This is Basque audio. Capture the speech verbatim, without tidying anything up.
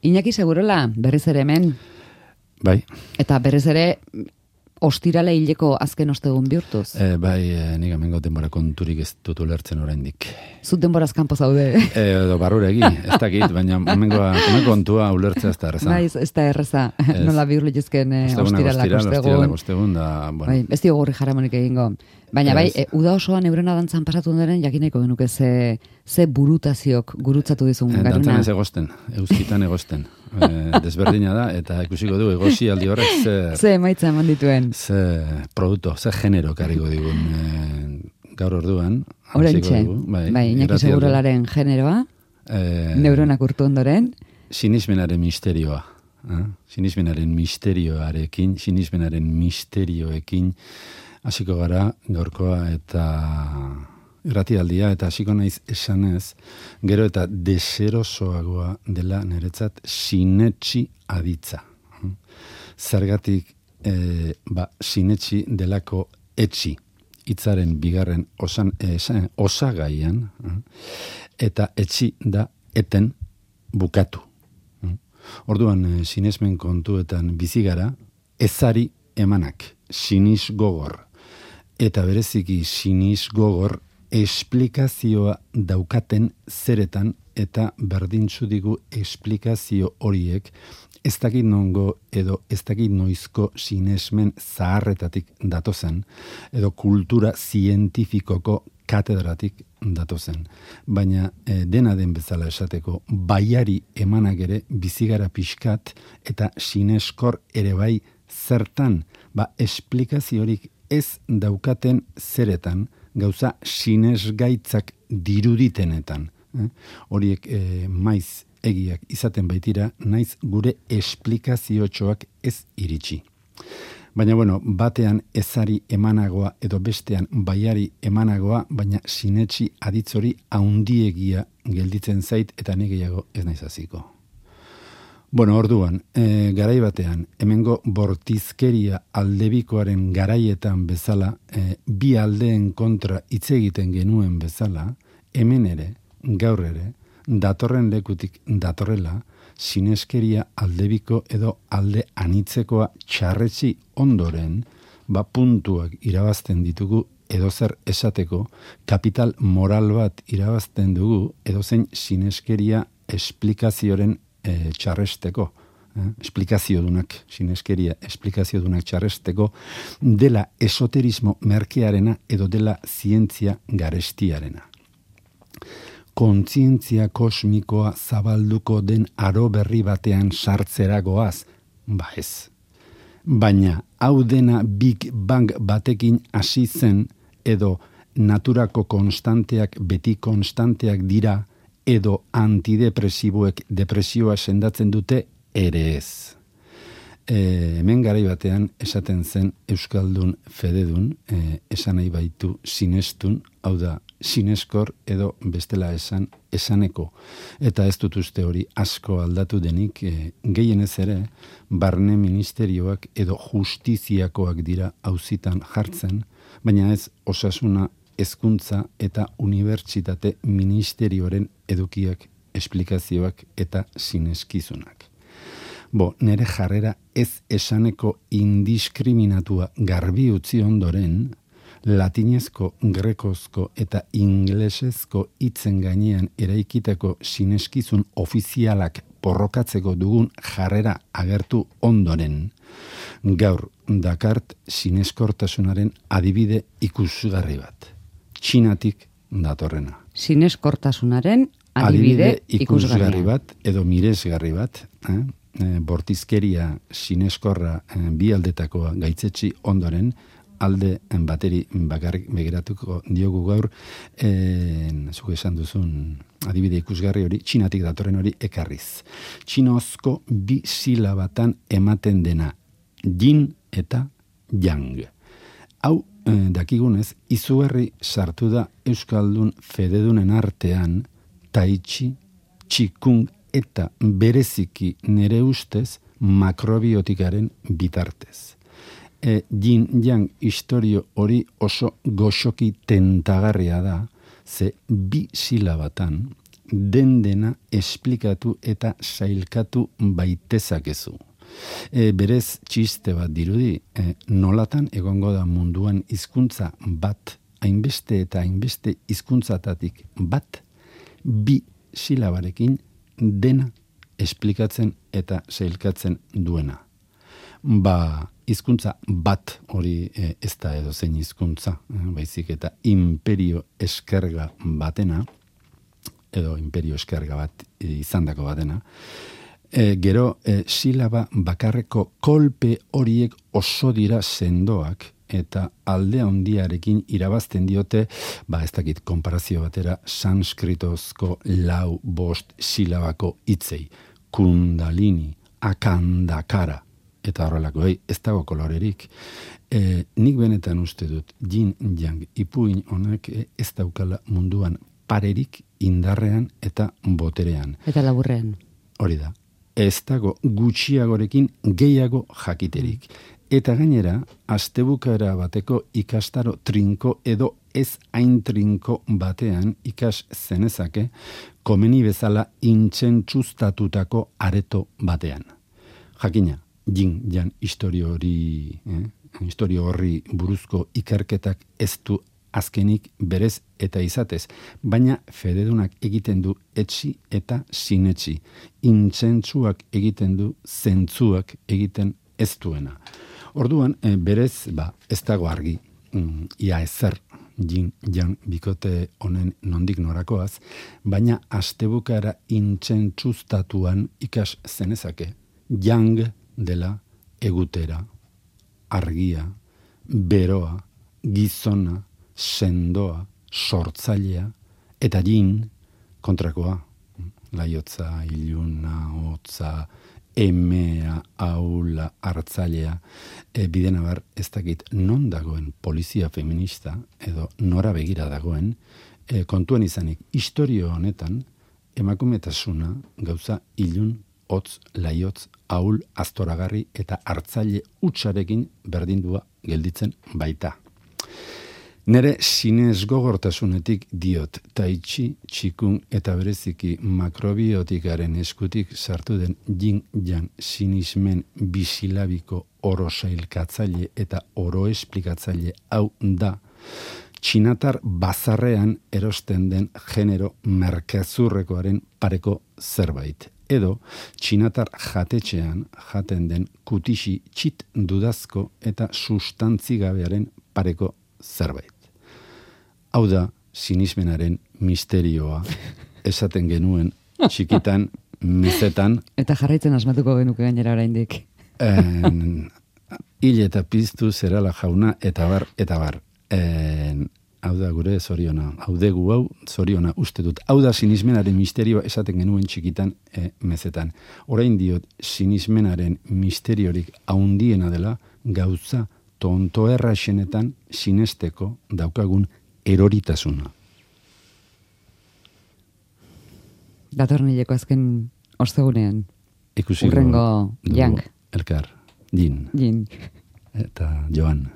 Iñaki Segurola, berriz ere hemen. Bai. Eta berriz ere ostirale hileko azken ostegun bihurtuz. E, bai, e, nik amengo denbora konturik ez dut ulertzen oraindik. Zut denboraz kanpo zaude. E, edo barruregi, ez dakit, baina amengoa kontua ulertzea ez da erreza. Bai, ez da erreza. Nola bihur litezken e, ostiralak ostegun. Ostiralak ostegun, da, bueno. Bai, ez diogu gorri jaramonik egingo. Baina bai, e, uda osoan eurena dantzan pasatu ondaren, jakineko genuke ze, ze burutaziok gurutzatu dizun e, garuna. Dantzan ez egosten, euskitan egosten. E, desberdina da, eta ikusiko du, egosi aldi horrek ze... Ze emaitza eman dituen. Ze produkto, ze genero kariko digun e, gaur orduan. Horentxe, bai, bai Iñaki Segurolaren generoa, e, neuronak urtu ondoren. Sinismenaren misterioa. Eh? Sinismenaren misterioarekin, sinismenaren misterioekin, hasiko gara gaurkoa eta irratialdia eta hasiko naiz esanez, gero eta deserosoagoa dela niretzat sinetsi aditza. Zergatik e, ba, sinetsi delako etxi, hitzaren bigarren osan, esan, osagaian, eta etxi da eten bukatu. Orduan, sinesmen kontuetan bizigara, ezari emanak, sinis gogor. Eta bereziki sinis gogor esplikazioa daukaten zeretan eta berdintzu digu esplikazio horiek ez dakit nongo edo ez dakit noizko sinesmen zaharretatik datozen edo kultura zientifikoko katedratik datozen. Baina e, dena den bezala esateko baiari emanak ere bizigara pixkat eta sineskor ere bai zertan ba esplikaziorik ez daukaten zeretan, gauza sinesgaitzak diruditenetan. Eh? Horiek eh, maiz egiak izaten baitira, naiz gure esplikaziotxoak ez iritsi. Baina, bueno, batean ezari emanagoa edo bestean baiari emanagoa, baina sinetsi aditzori haundiegia gelditzen zait eta negeiago ez naiz hasiko. Bueno, orduan, e, garai batean, hemengo bortizkeria aldebikoaren garaietan bezala, e, bi aldeen kontra hitz egiten genuen bezala, hemen ere, gaur ere, datorren lekutik datorrela, sineskeria aldebiko edo alde anitzekoa txarretsi ondoren, ba puntuak irabazten ditugu edozer esateko, kapital moral bat irabazten dugu edozein sineskeria esplikazioren E, txarresteko, eh? esplikaziodunak, sineskeria esplikaziodunak txarresteko, dela esoterismo merkearena edo dela zientzia garestiarena. Kontzientzia kosmikoa zabalduko den aro berri batean sartzeragoaz, ba ez. Baina, hau dena Big Bang batekin hasi zen edo naturako konstanteak beti konstanteak dira edo antidepresiboek depresioa sendatzen dute ere ez. E, hemen garai batean esaten zen Euskaldun fededun, e, esan nahi baitu sinestun, hau da sineskor edo bestela esan esaneko. Eta ez dut uste hori asko aldatu denik, e, gehienez ere, barne ministerioak edo justiziakoak dira auzitan jartzen, baina ez osasuna hezkuntza eta unibertsitate ministerioaren edukiak, esplikazioak eta sineskizunak. Bo, nere jarrera ez esaneko indiskriminatua garbi utzi ondoren, latinezko, grekozko eta inglesezko hitzen gainean eraikitako sineskizun ofizialak porrokatzeko dugun jarrera agertu ondoren, gaur dakart sineskortasunaren adibide ikusgarri bat. Txinatik datorrena. Sineskortasunaren adibide, adibide ikusgarri bat edo miresgarri bat, eh? E, bortizkeria sineskorra e, bi aldetakoa gaitzetsi ondoren alde bateri bakarrik begiratuko diogu gaur, e, zuke esan duzun adibide ikusgarri hori, Txinatik datorren hori ekarriz. Txinozko bi silabatan ematen dena, yin eta yang. Hau, dakigunez, izugarri sartu da Euskaldun fededunen artean tai chi, txikung eta bereziki nere ustez makrobiotikaren bitartez. E, yin yang historio hori oso goxoki tentagarria da, ze bi silabatan den dena esplikatu eta sailkatu baitezakezu. E, berez txiste bat dirudi, e, nolatan egongo da munduan hizkuntza bat, hainbeste eta hainbeste hizkuntzatatik bat, bi silabarekin dena esplikatzen eta sailkatzen duena. Ba, hizkuntza bat hori e, ez da edo zein hizkuntza, e, baizik eta imperio eskerga batena, edo imperio eskerga bat e, izandako batena, e, gero e, silaba bakarreko kolpe horiek oso dira sendoak, eta alde handiarekin irabazten diote, ba ez dakit konparazio batera, sanskritozko lau bost silabako hitzei, kundalini, akandakara, eta horrelako, ei, ez dago kolorerik. E, nik benetan uste dut, yin yang ipuin honek e, ez daukala munduan parerik indarrean eta boterean. Eta laburrean. Hori da. Ez dago gutxiagorekin gehiago jakiterik. Eta gainera, astebukaera bateko ikastaro trinko edo ez hain trinko batean ikas zenezake komeni bezala intzentzuztatutako areto batean. Jakina, jin jan historio hori, eh? historio horri buruzko ikerketak ez du azkenik berez eta izatez, baina fededunak egiten du etxi eta sinetxi. Intzentzuak egiten du zentzuak egiten ez duena. Orduan, e, berez, ba, ez dago argi, mm, ia ezer jin jan bikote honen nondik norakoaz, baina astebukaera intzentzuztatuan ikas zenezake, jang dela egutera, argia, beroa, gizona, sendoa, sortzailea, eta jin kontrakoa, laiotza, iluna, hotza, emea, aula, hartzailea, e, bidena bar, ez dakit non dagoen polizia feminista, edo nora begira dagoen, e, kontuan izanik, historio honetan, emakumetasuna gauza ilun, hotz, laiotz, aul, astoragarri eta hartzaile utxarekin berdindua gelditzen baita. Nere sinez gogortasunetik diot, taitxi, txikun eta bereziki makrobiotikaren eskutik sartu den yin yang sinismen bisilabiko oro sailkatzaile eta oro esplikatzaile hau da, txinatar bazarrean erosten den genero merkezurrekoaren pareko zerbait. Edo, txinatar jatetxean jaten den kutixi txit dudazko eta sustantzigabearen pareko zerbait. Hau da, sinismenaren misterioa esaten genuen txikitan, mezetan. Eta jarraitzen asmatuko genuke gainera oraindik. En, hil eta piztu zerala jauna, eta bar, eta bar. En, hau da gure zoriona, hau degu hau zoriona uste dut. Hau da sinismenaren misterioa esaten genuen txikitan e, mezetan. Orain diot, sinismenaren misteriorik haundiena dela gauza tonto erraixenetan sinesteko daukagun eroritasuna. Datornileko azken ostegunean. Ikusiko Urrengo yang. Elkar, jin. Jin. Eta joan.